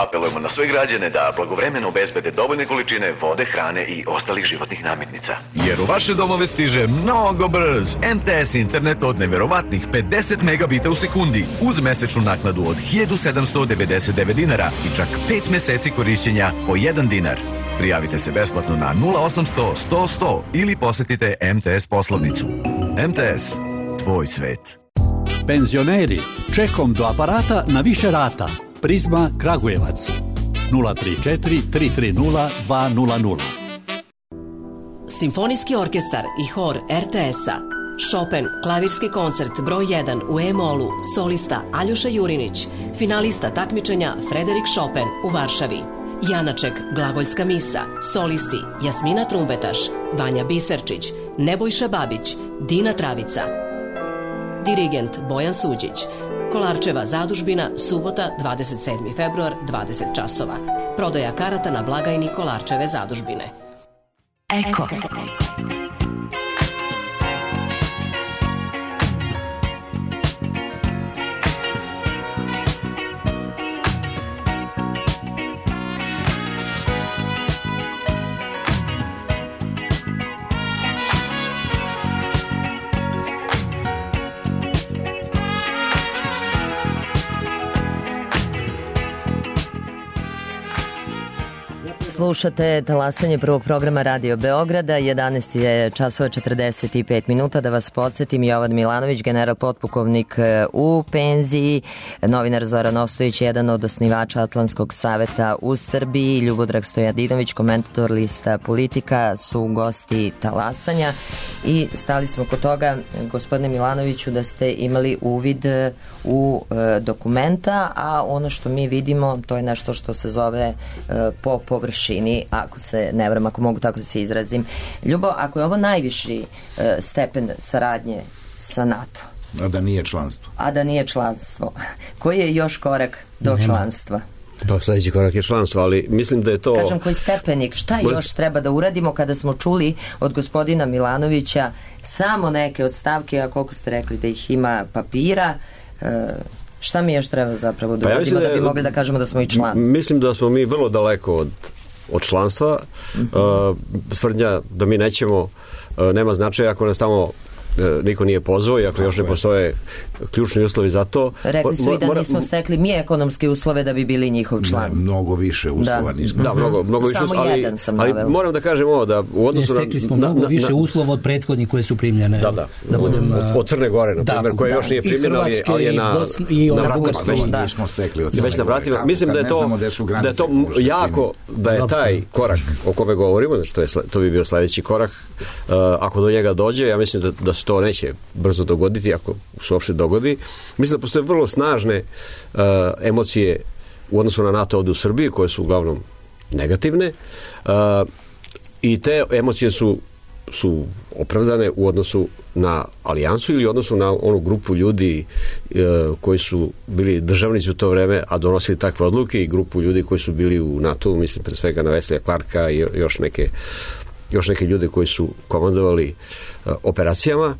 Apelujemo na sve građane da blagovremeno obezbede dovoljne količine vode, hrane i ostalih životnih namirnica. Jer u vaše domove stiže mnogo brz M T S internet od neverovatnih pedeset megabita u sekundi uz mesečnu naknadu od hiljadu sedamsto devedeset devet dinara i čak pet meseci korišćenja po jedan dinar. Prijavite se besplatno na nula osamsto sto sto ili posetite M T S poslovnicu. M T S, tvoj svet. Penzioneri, čekom do aparata na više rata. Prizma Kragujevac nula tri četiri tri tri nula dva nula nula. Simfonijski orkestar i hor R T S-a. Chopin, klavirski koncert broj jedan u E-molu, solista Aljoša Jurinić, finalista takmičenja Frederik Chopin u Varšavi. Janaček, glagoljska misa, solisti Jasmina Trumbetaš, Vanja Biserčić, Nebojša Babić, Dina Travica. Dirigent Bojan Suđić. Kolarčeva zadužbina, subota, dvadeset sedmi februar, dvadeset časova. Prodaja karata na blagajni Kolarčeve zadužbine. Eko. Slušate talasanje prvog programa Radio Beograda, jedanaest je časova četrdeset pet minuta. Da vas podsjetim, Jovan Milanović, general potpukovnik u penziji, novinar Zoran Ostojić, jedan od osnivača Atlantskog saveta u Srbiji, Ljubodrag Stojadinović, komentator lista Politika, su gosti talasanja. I stali smo kod toga, gospodine Milanoviću, da ste imali uvid u e, dokumenta, a ono što mi vidimo, to je nešto što se zove e, po površini, ako se ne varam, ako mogu tako da se izrazim. Ljubo, ako je ovo najviši e, stepen saradnje sa NATO, a da nije članstvo, a da nije članstvo, koji je još korak do Nema. članstva? Pa sljedeći korak je članstvo, ali mislim da je to... Kažem, koji stepenik, šta još treba da uradimo kada smo čuli od gospodina Milanovića samo neke od stavke, a koliko ste rekli da ih ima papira, e, šta mi još treba zapravo da uradimo, pa ja da, da bi mogli da kažemo da smo i član? Mislim da smo mi vrlo daleko od, od članstva. Mm-hmm. uh, tvrdnja da mi nećemo uh, nema značaja ako nas tamo niko nije pozvao i ako još ne postoje ključni uslovi za to. Rekli su i da nismo stekli mi ekonomske uslove da bi bili njihov član. Ne, mnogo više uslova da. nismo. Da, mnogo, mnogo više uslova, ali, ali moram da kažem ovo, da u odnosu na... Stekli smo mnogo na, na, više uslova od prethodnih koje su primljene. Da, da. da budem, od, od Crne Gore, na primjer, koja još nije primljena, ali, ali je na, i na vratima. Da. Nismo stekli od Crne Već na vratima. Gore. Mislim da je to, da je to jako, da je taj korak o kome govorimo, znači to, je, to bi bio sljedeći korak, ako do njega dođe, ja mislim da, da se to neće brzo dogoditi, ako se uopšte dogodi. Mislim da postoje vrlo snažne uh, emocije u odnosu na NATO ovdje u Srbiji, koje su uglavnom negativne, uh, i te emocije su, su opravdane u odnosu na alijansu ili u odnosu na onu grupu ljudi uh, koji su bili državnici u to vreme, a donosili takve odluke, i grupu ljudi koji su bili u NATO, mislim pre svega na Veslija Clarka i još neke, još neke ljude koji su komandovali uh, operacijama.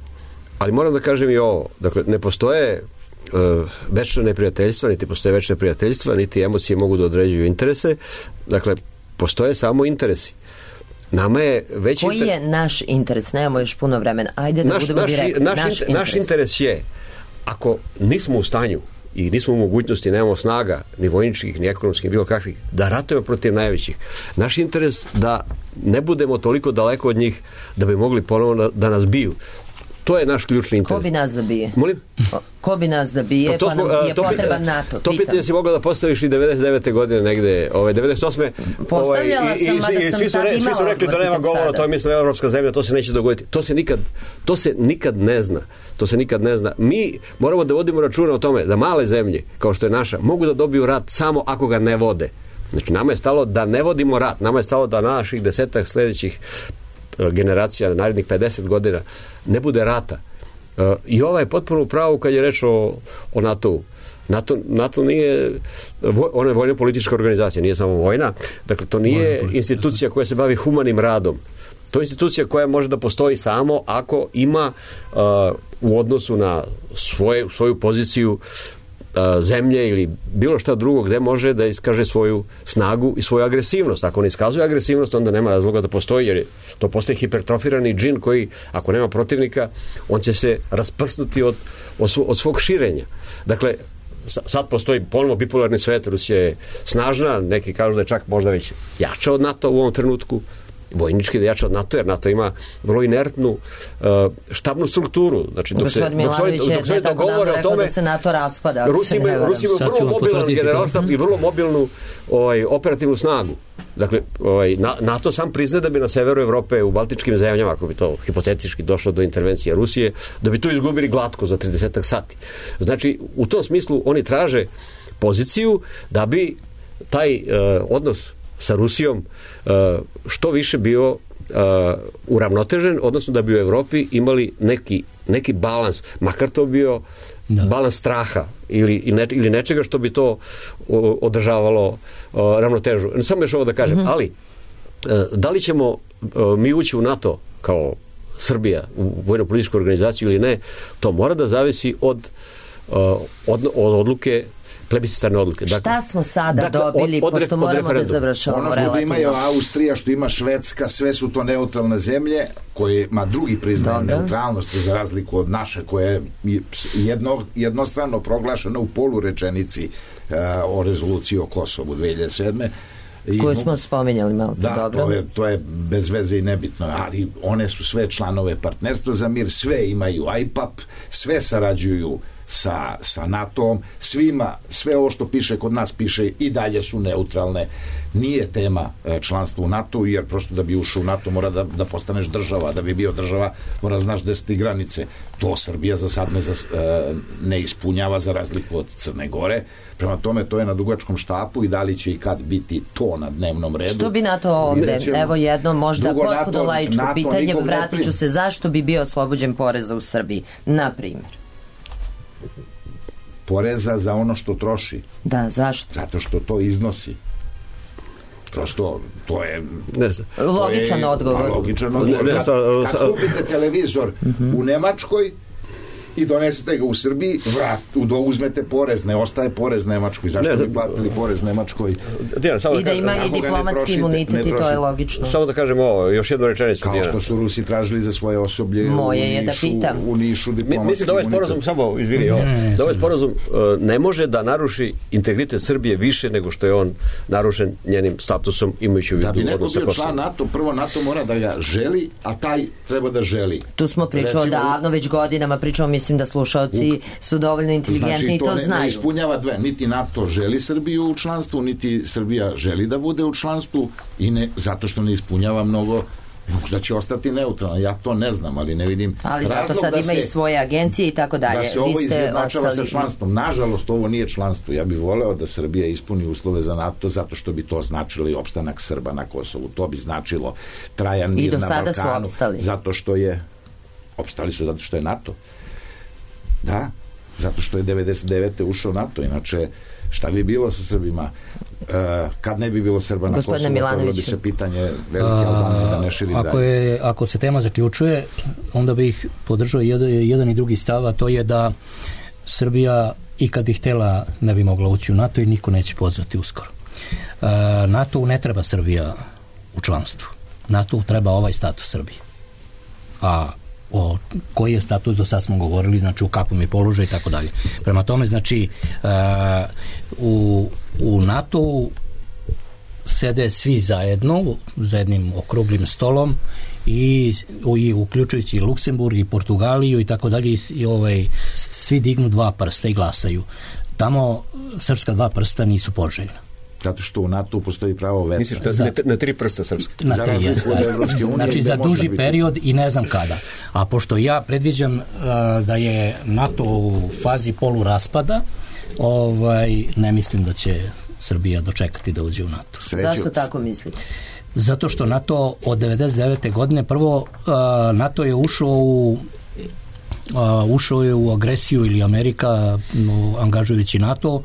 Ali moram da kažem i ovo, dakle, ne postoje uh, večne neprijateljstva, niti postoje večne prijateljstva, niti emocije mogu da određuju interese, dakle, postoje samo interesi. Nama je veći... Koji inter... je naš interes? Nemamo još puno vremena. Ajde da naš, budemo naš, direktni. Naš, naš, interes. naš interes je, ako nismo u stanju i nismo u mogućnosti, nemamo snaga, ni vojničkih, ni ekonomskih, bilo kakvih, da ratujemo protiv najvećih. Naš interes da ne budemo toliko daleko od njih da bi mogli ponovno da nas biju. To je naš ključni interes. Ko bi nas da bije? Molim? Ko bi nas da bije, pa, pa nam je to potreban NATO? To pitanje si mogla da postaviš i devedeset devete godine negde, ove, devedeset osme Postavljala ovaj, sam, mada i, sam svi su, tad re, svi su rekli da nema govora, to je mislim evropska zemlja, to se neće dogoditi. To se nikad, to se nikad ne zna. To se nikad ne zna. Mi moramo da vodimo računa o tome da male zemlje, kao što je naša, mogu da dobiju rat samo ako ga ne vode. Znači, nama je stalo da ne vodimo rat, nama je stalo da naših desetak sljedećih generacija, narednih pedeset godina, ne bude rata. Uh, I ova je potpuno u pravu kad je reč o, o NATO-u. NATO, NATO nije, ona je vojno-politička organizacija, nije samo vojna, dakle to nije institucija koja se bavi humanim radom. To je institucija koja može da postoji samo ako ima uh, u odnosu na svoje, svoju poziciju uh, zemlje ili bilo šta drugo gde može da iskaže svoju snagu i svoju agresivnost. Ako ne iskazuje agresivnost, onda nema razloga da postoji, jer je to postaje hipertrofirani džin koji, ako nema protivnika, on će se rasprsnuti od, od, svo, od svog širenja. Dakle, sad postoji ponovno bipolarni svet, Rusija je snažna, neki kažu da je čak možda već jača od NATO u ovom trenutku, vojnički da jača od NATO, jer NATO ima vrlo inertnu uh, štabnu strukturu. Znači, dok se, dok se, dok se dogovore o tome, da se NATO raspada. Rusi imaju vrlo mobilan generalštab i vrlo mobilnu ovaj, operativnu snagu. Dakle, ovaj, NATO sam prizna da bi na severu Evrope, u baltičkim zemljama, ako bi to hipotetički došlo do intervencije Rusije, da bi to izgubili glatko za trideset sati. Znači, u tom smislu oni traže poziciju da bi taj uh, odnos sa Rusijom uh, što više bio uh, uravnotežen, odnosno da bi u Evropi imali neki, neki balans, makar to bio da. balans straha ili, ne, ili nečega što bi to uh, održavalo uh, ravnotežu. Samo još ovo da kažem, mm-hmm. ali uh, da li ćemo uh, mi ući u NATO kao Srbija u vojno-političku organizaciju ili ne, to mora da zavisi od, uh, od, od odluke plebiscitarne odluke. Dakle, šta smo sada dakle, dobili, od, od, pošto od moramo da završavamo ono relativno? Ono što ima Austrija, što ima Švedska, sve su to neutralne zemlje koje, ma drugi priznaju neutralnost za razliku od naše, koja je jedno, jednostrano proglašena u polurečenici uh, o rezoluciji o Kosovu dve hiljade sedme. Koju smo spominjali malo. Da, dobro. To, je, to je bez veze i nebitno, ali one su sve članove Partnerstva za mir, sve imaju I P A P, sve sarađuju sa, sa NATO-om, svima, sve ovo što piše kod nas piše i dalje su neutralne. Nije tema članstva u NATO, jer prosto da bi ušao u NATO mora da, da postaneš država, da bi bio država mora znaš gde su ti granice. To Srbija za sad ne, za, ne ispunjava za razliku od Crne Gore. Prema tome to je na dugačkom štapu i da li će i kad biti to na dnevnom redu. Što bi NATO ovde? Evo jedno možda potpuno laičko pitanje, vratit ću se, zašto bi bio oslobođen poreza u Srbiji, na primjer? Poreza za ono što troši. Da, zašto? Zato što to iznosi. Prosto, to je... Ne znam. Logičan odgovor. Logičan odgovor. Ne, ne, kad, kad kupite televizor uh-huh. u Nemačkoj i donesete ga u Srbiji, vrat, uzmete porez, ne ostaje porez Nemačkoj. Zašto ne, bi platili porez Nemačkoj? Dijana, samo I da, da ima i diplomatski imunitet i to je logično. Samo da kažem ovo, još jednu rečenicu. Kao Dijana. Što su Rusi tražili za svoje osoblje Moje u je Nišu, da pitam. u Nišu diplomatski Mi, mislim da ovaj sporazum, samo izvini, ovo, da ovaj sporazum uh, ne može da naruši integritet Srbije više nego što je on narušen njenim statusom imajući u vidu odnos sa Kosovom. Da bi neko bio član NATO, prvo NATO mora da ga želi, a taj treba da želi. Tu smo pričao davno, već godinama pričao, mislim da slušaoci su dovoljno inteligentni znači, i to, to ne, znaju. Ne ispunjava dve. Niti NATO želi Srbiju u članstvu, niti Srbija želi da bude u članstvu i ne, zato što ne ispunjava mnogo, možda će ostati neutralno. Ja to ne znam, ali ne vidim ali zato sad ima se, i svoje agencije i tako dalje. Da se ovo izjednačava sa članstvom. Nažalost, ovo nije članstvo. Ja bih voleo da Srbija ispuni uslove za NATO zato što bi to značilo i opstanak Srba na Kosovu. To bi značilo trajan mir na Balkanu. I do sada su opstali. Zato što je opstali su zato što je NATO. Da, zato što je devedeset devete ušao NATO, inače šta bi bilo sa Srbima uh, kad ne bi bilo Srba na Kosovu, to bi se pitanje velike Albanije da ne širi ako dalje. Je, ako se tema zaključuje, onda bih podržao jedan, jedan i drugi stav, a to je da Srbija i kad bi htjela ne bi mogla ući u NATO i niko neće pozvati uskoro. Uh, NATO ne treba Srbija u članstvu. NATO treba ovaj status Srbije. A o koji je status, do sad smo govorili, znači u kakvom je položaju i tako dalje. Prema tome, znači uh, u, u NATO sede svi zajedno za jednim okruglim stolom i, i uključujući i Luksemburg i Portugaliju i tako dalje i ovaj, svi dignu dva prsta i glasaju. Tamo srpska dva prsta nisu poželjna. Zato što u NATO postoji pravo vetra. Misliš da za, na tri prsta srpske? Na tri, je, znači za duži period i ne znam kada. A pošto ja predviđam uh, da je NATO u fazi poluraspada, ovaj, ne mislim da će Srbija dočekati da uđe u NATO. Sreću. Zašto tako mislite? Zato što NATO od devedeset devete godine, prvo uh, NATO je ušao u uh, ušao je u agresiju ili Amerika uh, angažujući NATO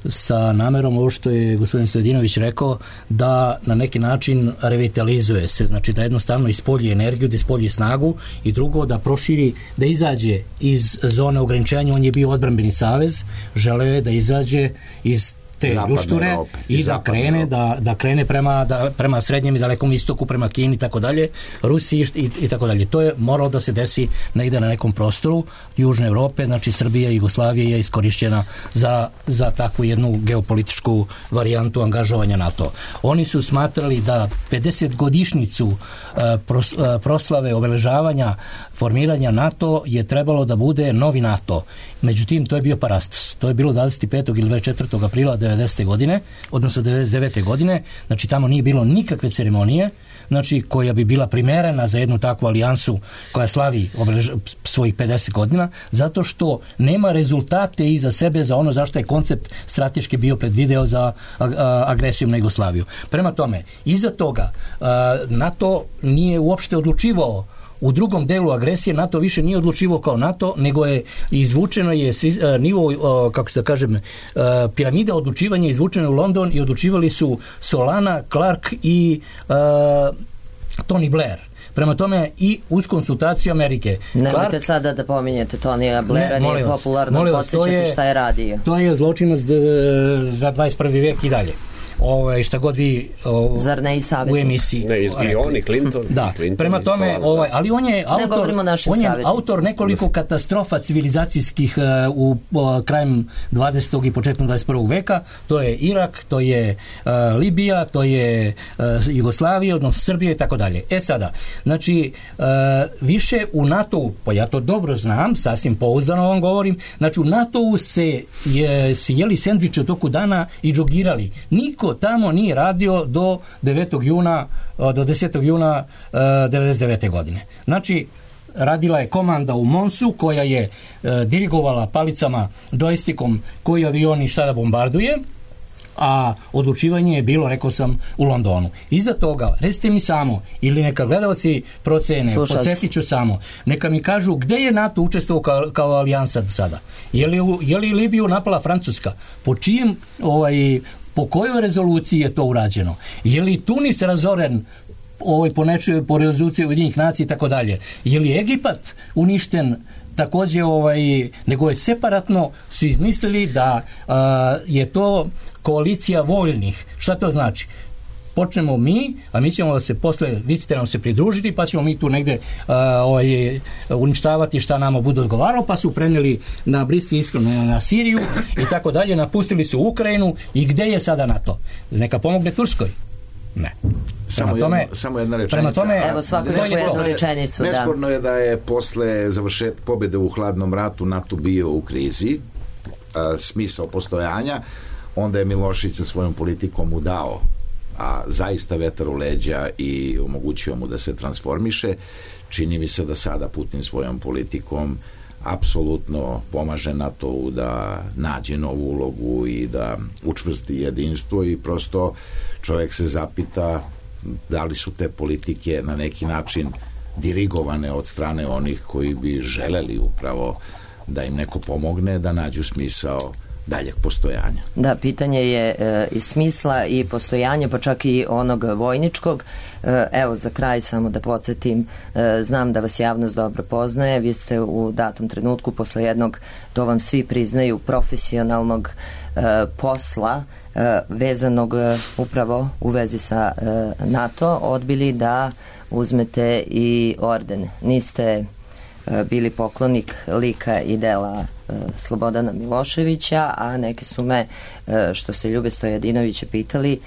sa namerom, ovo što je gospodin Stojadinović rekao, da na neki način revitalizuje se, znači da jednostavno ispolji energiju, da ispolji snagu i drugo da proširi, da izađe iz zone ograničenja. On je bio odbrambeni savez, želeo je da izađe iz te ljušture i da krene da, da krene prema, da, prema srednjem i dalekom istoku, prema Kini i tako dalje, Rusiji i, i tako dalje. To je moralo da se desi negde na nekom prostoru Južne Evrope, znači Srbija i Jugoslavija je iskorišćena za, za takvu jednu geopolitičku varijantu angažovanja NATO. Oni su smatrali da pedeset godišnjicu uh, pros, uh, proslave obeležavanja formiranja NATO je trebalo da bude novi NATO. Međutim, to je bio parastos. To je bilo dvadeset petog ili dvadeset četvrtog aprila devedesete godine, odnosno devedeset devete godine, znači tamo nije bilo nikakve ceremonije, znači koja bi bila primerena za jednu takvu alijansu koja slavi obelež, svojih pedeset godina, zato što nema rezultate iza sebe za ono zašto je koncept strateški bio predvideo za a, a, agresijom na Jugoslaviju. Prema tome, iza toga a, NATO nije uopšte odlučivao u drugom delu agresije. NATO više nije odlučivao kao NATO, nego je izvučeno je nivo, kako se da kažem, piramida odlučivanja izvučena u London i odlučivali su Solana, Clark i uh, Tony Blair. Prema tome i uz konsultaciju Amerike. Nemojte Clark, sada da pominjete Tonija Blaira, ne, nije popularno podsjećati šta je radio. To je zločinac za dvadeset prvi vek i dalje. ovaj, šta god vi o, Zar ne i savjetnik? U emisiji. Ne, i on i Clinton. Da, i Clinton, prema tome, ovaj, ali on je autor, on je autor nekoliko katastrofa civilizacijskih uh, u uh, krajem dvadesetog i početkom dvadeset prvog veka. To je Irak, to je uh, Libija, to je uh, Jugoslavija, odnosno Srbija i tako dalje. E sada, znači, uh, više u NATO-u, pa ja to dobro znam, sasvim pouzdano vam govorim, znači u NATO-u se je, se jeli sendviče u toku dana i džogirali. Niko tamo nije radio do devetog juna, do desetog juna uh, devedeset devete godine. Znači, radila je komanda u Monsu koja je uh, dirigovala palicama, džojstikom koji avioni sada bombarduje, a odlučivanje je bilo, rekao sam, u Londonu. Iza toga, recite mi samo, ili neka gledalci procene, podsjetit ću samo, neka mi kažu gde je NATO učestvovao kao, kao alijansa do sada. Je li, je li Libiju napala Francuska? Po čijem, ovaj, po kojoj rezoluciji je to urađeno? Je li Tunis razoren ovaj, po nečoj, po rezoluciji Ujedinjenih nacija i tako dalje? Je li Egipat uništen takođe, ovaj, nego je separatno su izmislili da a, je to koalicija voljnih. Šta to znači? Počnemo mi, a mi ćemo da se posle, vi ćete nam se pridružiti, pa ćemo mi tu negde a, ovaj, uništavati šta nama bude odgovaralo, pa su preneli na Bliski istok, na, na Siriju i tako dalje, napustili su Ukrajinu i gde je sada NATO? Neka pomogne Turskoj? Ne. Samo, tome, jedno, samo jedna rečenica. Tome, evo svako je jednu rečenicu. Nesporno da. je da je posle završet pobede u hladnom ratu NATO bio u krizi, a, smisao postojanja, onda je Milošević sa svojom politikom mu dao a zaista vetar u leđa i omogućio mu da se transformiše. Čini mi se da sada Putin svojom politikom apsolutno pomaže NATO-u da nađe novu ulogu i da učvrsti jedinstvo i prosto čovjek se zapita da li su te politike na neki način dirigovane od strane onih koji bi želeli upravo da im neko pomogne da nađu smisao daljeg postojanja. Da, pitanje je e, i smisla i postojanja, pa čak i onog vojničkog. E, evo, za kraj samo da podsjetim, e, znam da vas javnost dobro poznaje, vi ste u datom trenutku posle jednog, to vam svi priznaju, profesionalnog e, posla e, vezanog e, upravo u vezi sa e, NATO, odbili da uzmete i orden. Niste e, bili poklonik lika i dela Slobodana Miloševića, a neki su me, što se Ljube Stojadinovića pitali,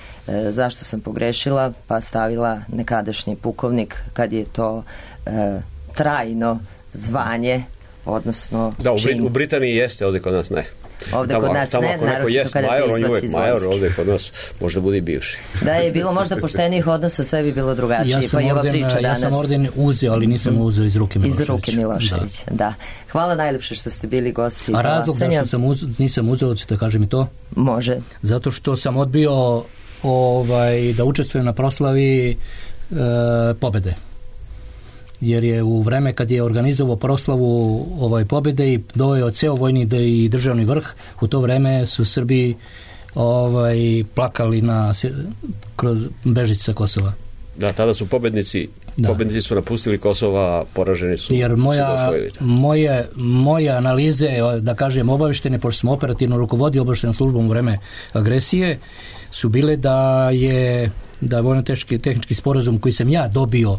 zašto sam pogrešila, pa stavila nekadašnji pukovnik kad je to e, trajno zvanje, odnosno da, u, čin. U Britaniji jeste, ovdje kod nas ne. Ovdje tamo, kod nas tamo, ne, naročito kada major, te izbaci iz major, vojske. ovdje kod nas možda bude i bivši. Da je bilo možda poštenijih odnosa, sve bi bilo drugačije. Ja pa i ova orden, priča ja danas. sam orden uzeo, ali nisam uzeo iz ruke Miloševića. Iz ruke Miloševića, da. da. Hvala najlepše što ste bili gosti. A razlog zašto sam uz, nisam uzeo, ćete kažem i to? Može. Zato što sam odbio ovaj, da učestvujem na proslavi e, pobede. Jer je u vreme kad je organizovao proslavu ovaj pobjede i doveo ceo vojni i državni vrh, u to vreme su Srbi ovaj, plakali na, kroz bežić sa Kosova. Da, tada su pobednici, da. pobednici su napustili Kosova, poraženi su. Jer moja, moje, moje analize, da kažem, obaveštene, pošto smo operativno rukovodili obaveštenom službom u vreme agresije, su bile da je da vojno-tehnički tehnički sporazum koji sam ja dobio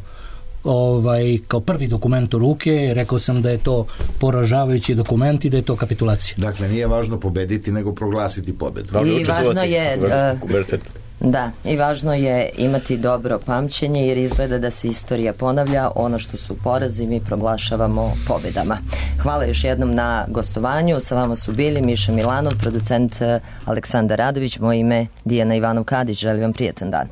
ovaj, kao prvi dokument u ruke, rekao sam da je to poražavajući dokument i da je to kapitulacija. Dakle, nije važno pobediti, nego proglasiti pobedu. I važno je da, i važno je imati dobro pamćenje, jer izgleda da se istorija ponavlja, ono što su porazi mi proglašavamo pobedama. Hvala još jednom na gostovanju, sa vama su bili Miša Milanov, producent Aleksandar Radović, moje ime Dijana Ivanov-Kadić, želim vam prijetan dan.